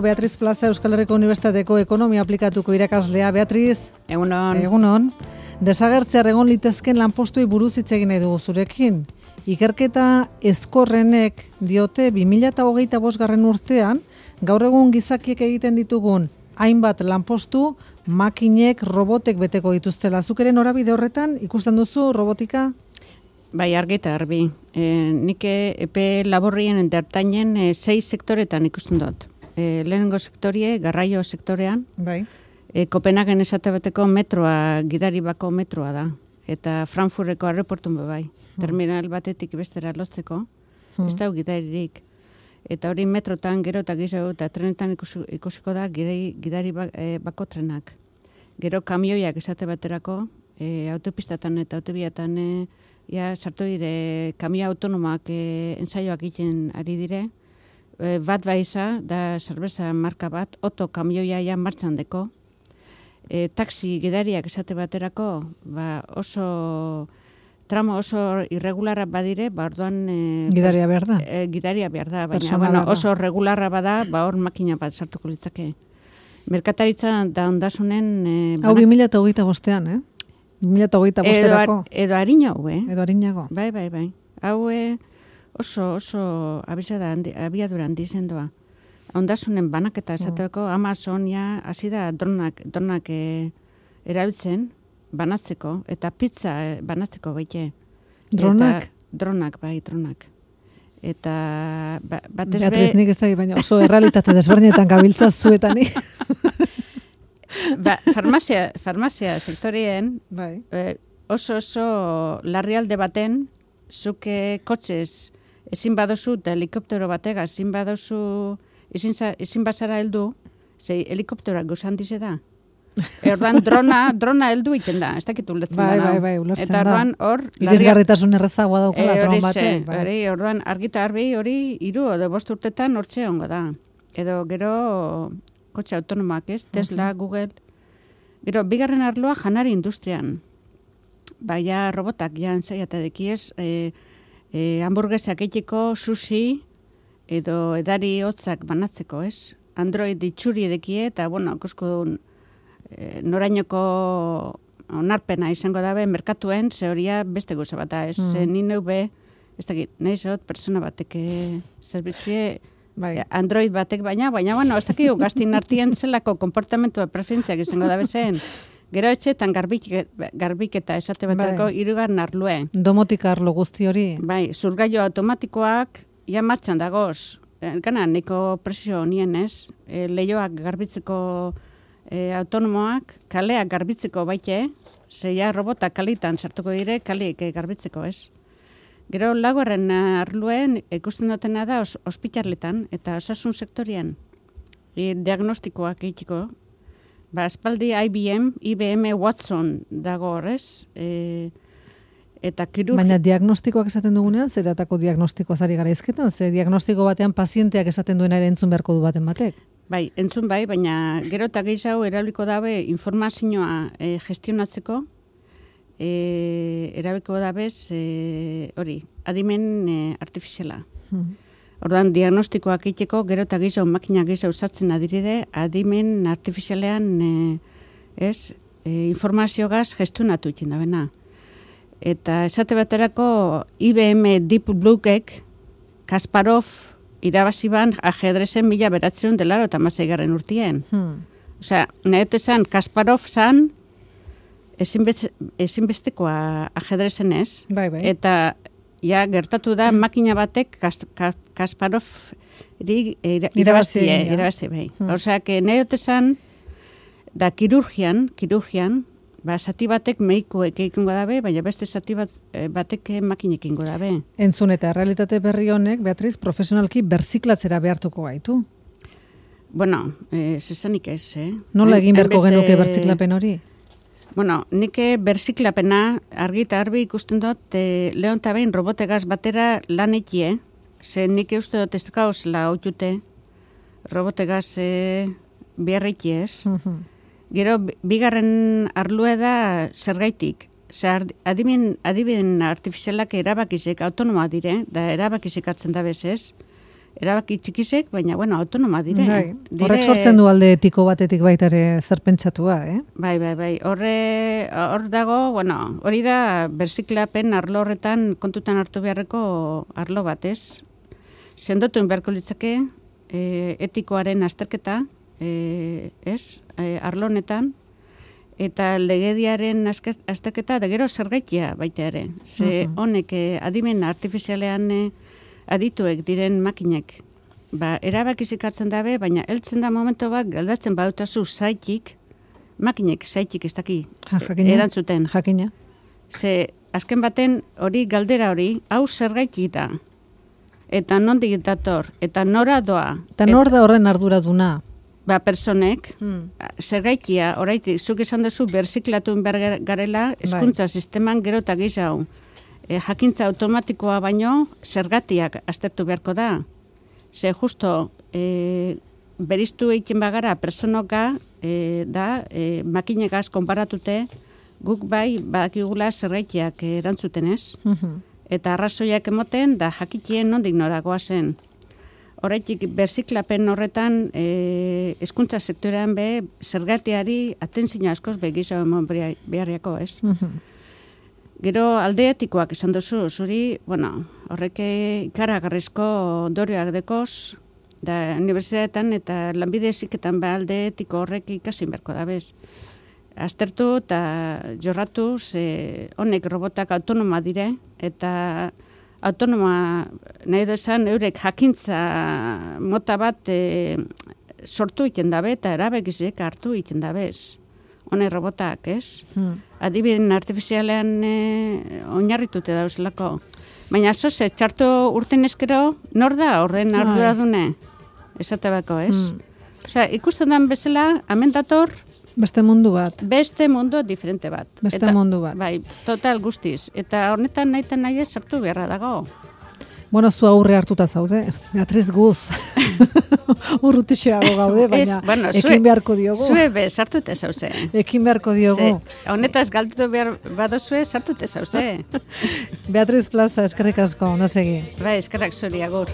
Beatriz Plaza Euskal Herriko Unibertsitateko ekonomia aplikatuko irakaslea. Beatriz, Egunon. Egunon. Desagertzear egon litezken lanpostuei buruz hitz egin nahi dugu zurekin. Ikerketa ezkorrenek diote 2025 urtean, gaur egun gizakiek egiten ditugun hainbat lanpostu makinek, robotek beteko dituztela. Zuk ere norabide horretan ikusten duzu robotika? Bai, argi eta garbi. Nik epe laborrien entertainen 6 sektoretan ikusten dut. Lehenengo sektorie, garraio sektorean. Bai. Kopenhagen esate bateko metroa, gidari bako metroa da. Eta Frankfurteko aeroportun bai. Terminal batetik bestera lotzeko. Ez da gidaririk. Eta hori metrotan gero eta gizau eta trenetan ikusiko da gidari bako trenak. Gero kamioiak esate baterako, autopistatan eta autobiatan sartu dire kamio autonomoak ensaioak egiten ari dire. Bat baiza, da zerbeza marka bat, oto kamioia ja martxan deko. Taxi gidariak esate baterako, oso tramo oso irregularra badire, orduan gidaria behar da. Gidaria behar da, baina oso regularra bada, hor makina bat sartuko litzake. Merkataritza da ondasunen... Hau 2025-ean, 2025-erako. Edo harinago, Edo harinago. Bai. Hau oso abiadura handi zendoa. Ondasunen banaketa esateko Amazon hasi da dronak erabiltzen banatzeko, eta pizza banatzeko baite. Dronak? Dronak. Eta batez Beatriz, nik ez da, baina oso errealitate desberdinetan gabiltza zuetani. Farmazia sektorien oso larrialde baten, zuke kotxez ezin badozu eta helikoptero batega ezin bazara heldu, ze helikopteroak gozan dize da. Orduan drona heldu iten da, ez dakit ulertzen da. Bai, ulertzen da. Eta orduan hor... Irisgarritasun errezagoa daukala dron batean. Orduan argita harbi hori 3 edo 5 urtetan hortxe ongo da. Edo gero kotxe autonomoak ez, Tesla, Google. Gero, bigarren arloa janari industrian. Baina robotak ensaiata dekiez, hamburguesak eiteko, sushi, edo edari hotzak banatzeko, ez? Android itxuri edekie, eta, ikusko norainoko onarpena izango dabe merkatuen, ze horia beste goza bat da, ez? Ni neube, ez dakit, nahi zot, persona batek zerbitzie, Android batek baina, ez dakit, gaztin artien zelako komportamentua preferentziak izango dabe zen. Gero etxetan garbiketa esate baterako 3. arlue. Domotika arlo guzti hori. Bai, zurgailu automatikoak martxan dagoz. Gana, neko presio nien ez. Leioak garbitzeko autonomoak, kaleak garbitzeko baite, zeia robotak kalitan sartuko dire, kaleik garbitzeko ez. Gero lagoaren arluen ikusten dutena da ospitarletan eta osasun sektorian diagnostikoak egiteko. Espaldi IBM Watson dago horrez, eta kirurgia... Baina diagnostikoak esaten dugunean, zeratako diagnostikoa zari gara izketan? Ze diagnostiko batean pazienteak esaten duena ere entzun beharko du baten batek? Bai, entzun bai, baina gero eta gehiago erabiliko dabe informazioa gestionatzeko, erabiliko dabez adimen artifiziala. Orduan, diagnostikoak egiteko, gero eta gehiago, makina gehiago sartzen adiride, adimen artifizialean informaziogaz gestionatu ikin dabena. Eta esate baterako IBM Deep Bluek Kasparov irabaziban ajedrezen 1986 urtien. Osea, nahet esan, Kasparov zan ezinbestekoa ajedrezen ez. Bai. Eta gertatu da makina batek Kasparov irabazi bai. Osea, nahet esan, da kirurgian, zati batek meikoek egingo dabe, baina beste zati batek makinek egingo dabe. Entzun eta realitate berri honek, Beatriz, profesionalki berziklatzera behartuko gaitu. Zesanik ez, Nola egin beharko genuke berziklapen hori? Nik berziklapena argi eta harbi ikusten dut lehon eta behin robotegaz batera lan ekie, ze nik uste dut ez gauzela hautute robotegaz beharrekie ez. Gero, bigarren arlue da zergaitik. Adimen artifizialak erabakizik autonomoa dire, da erabakizik hartzen da bezez. erabaki txikisek, baina, bueno, autonoma dire. Horrek sortzen du alde etiko batetik baita ere zer pentsatua, Bai. Hor dago, bueno, hori da berziklapen arlo horretan kontutan hartu beharreko arlo bat, ez? Sendotu beharko litzake etikoaren azterketa, ez? Arlo honetan, eta legediaren azterketa, da gero zergaitia baita ere. Ze honek adimen artifizialean adituek diren makinek, erabakizik hartzen dabe, baina heltzen da momento bat, galdatzen badutazu zaitik, makinek zaitik ez daki erantzuten. Jakina. Ze, azken baten hori galdera hori, hau zergaitik da, eta nondik dator, eta nora doa. Eta nor da horren arduraduna? Personek, zergaitia, oraitik, zuk esan duzu berziklatu behar garela, hezkuntza sisteman gero eta gehiago. Jakintza automatikoa baino zergatiak aztertu beharko da. Ze justo beriztu egiten bagara personoka makinegaz konparatute guk bai badakigula zergaitiak erantzuten ez. Eta arrazoiak emoten da jakitien nondik noragoa zen. Horaitik berziklapen horretan hezkuntza sektorean zergatiari atentzioa askoz begizo emon beharriako ez. Gero alde etikoak esan duzu, zuri, bueno, horrek ikaragarrizko ondorioak dekoz, da unibertsitateetan eta lanbide heziketan alde etiko horrek ikasi beharko da bez. Aztertu eta jorratu, honek robotak autonoma dire, eta autonoma nahi du esan eurek jakintza mota bat sortu egiten dabe eta erabekizek hartu egiten dabez. Hone robotak, ez? Adibiden artifizialean oinarritute dauzelako. Baina zoze, txarto urten eskero, nor da horren arduradune? Esate bako, ez? Osea, ikusten den bezala, hemen dator... Beste mundu bat. Beste mundu diferente bat. Beste mundu bat. Bai, total guztiz. Eta hornetan nahi ez sartu beharra dago. Bueno, zu aurre hartuta zaude. Beatriz Guz. Urrutixeago gaude, baina ekin beharko diogu. Zue sartute zauze. Ekin beharko diogu. Honetaz galdutu behar badozue sartute zauze. Beatriz Plaza, eskerrik asko, ondo segi. Bai, eskerrak zuri, agur.